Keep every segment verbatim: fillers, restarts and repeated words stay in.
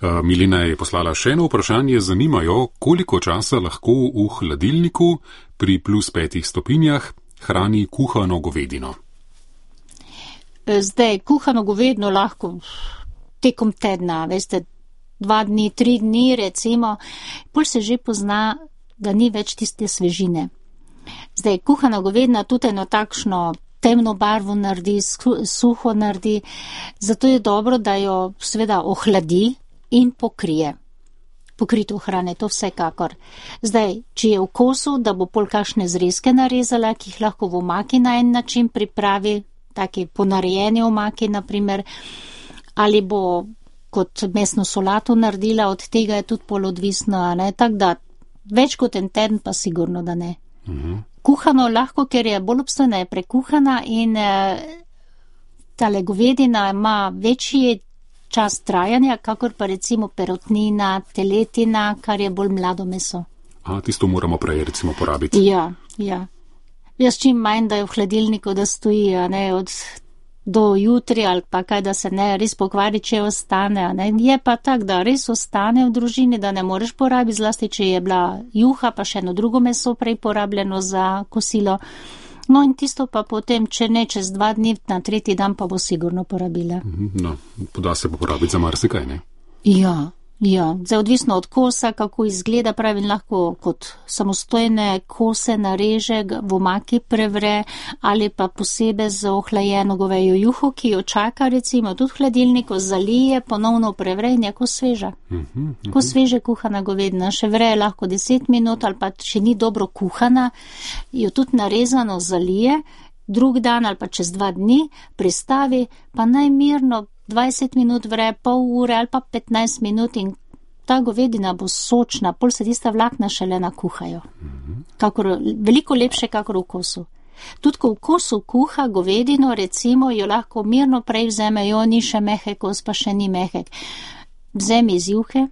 Milena je poslala še eno vprašanje. Zanimajo, koliko časa lahko v hladilniku pri plus petih stopinjah hrani kuhano govedino. Zdaj, kuhano govedino lahko tekom tedna, veste, dva dni, tri dni recimo, pol se že pozna, da ni več tiste svežine. Zdaj, kuhana govedina tudi eno takšno temno barvo naredi, suho naredi, zato je dobro, da jo seveda ohladi in pokrije. Pokrito hrane, to vsekakor. Zdaj, če je v kosu, da bo pol kakšne zrezke narezala, ki jih lahko v omaki na en način pripravi, taki ponarejeni omaki, naprimer, ali bo kot mesno solato naredila, od tega je tudi pol odvisno, ne, tak da več kot en teden pa sigurno, da ne. Uh-huh. Kuhano lahko, ker je bolj obstojna, je prekuhana in eh, tale govedina ima večji čas trajanja, kakor pa recimo perutnina, teletina, kar je bolj mlado meso. A, tisto moramo prej recimo porabiti. Ja, ja. Jaz čim manj, da je v hladilniku, da stoji, a ne, od do jutri ali pa kaj, da se ne res pokvari, če ostane, a ne. Je pa tak, da res ostane v družini, da ne moreš porabiti, zlasti, če je bila juha, pa še eno drugo meso prej porabljeno za kosilo. No in tisto pa potem, če ne čez dva dni, na tretji dan pa bo sigurno porabila. No, poda se pa porabiti za marsikaj, ne? Ja, ja. Zdaj odvisno od kosa, kako izgleda, pravim, lahko kot samostojne kose nareže, v omaki prevre ali pa posebej z ohlajeno govejo juho, ki jo čaka recimo tudi v hladilniku, zalije, ponovno prevre in je ko sveža. Uh-huh, uh-huh. Ko sveže kuhana govedina, še vre lahko deset minut ali pa če ni dobro kuhana, jo tudi narezano zalije, drug dan ali pa čez dva dni pristavi, pa najmirno dvajset minut vre, pol ure ali pa petnajst minut in ta govedina bo sočna, pol se tista vlakna šele nakuhajo. Kakor, veliko lepše, kakor v kosu. Tudi ko v kosu kuha govedino, recimo, jo lahko mirno prej vzeme, jo ni še mehek kos, pa še ni mehek. Vzemi iz juhe,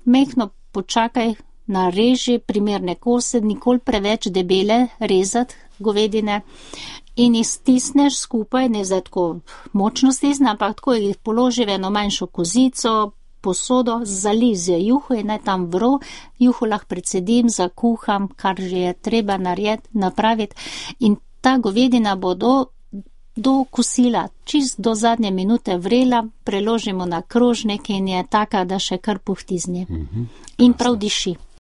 mehno počakaj, nareži primerne kose, nikoli preveč debele rezati govedine, in jih stisneš skupaj, ne zdaj tako močno stisne, ampak tako jih položi v eno manjšo kozico, posodo, zali z juho in naj tam vro, juho lahko predsedim, zakuham, kar že je treba narediti, napraviti in ta govedina bo do, do kosila, čist do zadnje minute vrela, preložimo na krožnik in je taka, da še kar puhti z nje. Mm-hmm. In prav diši.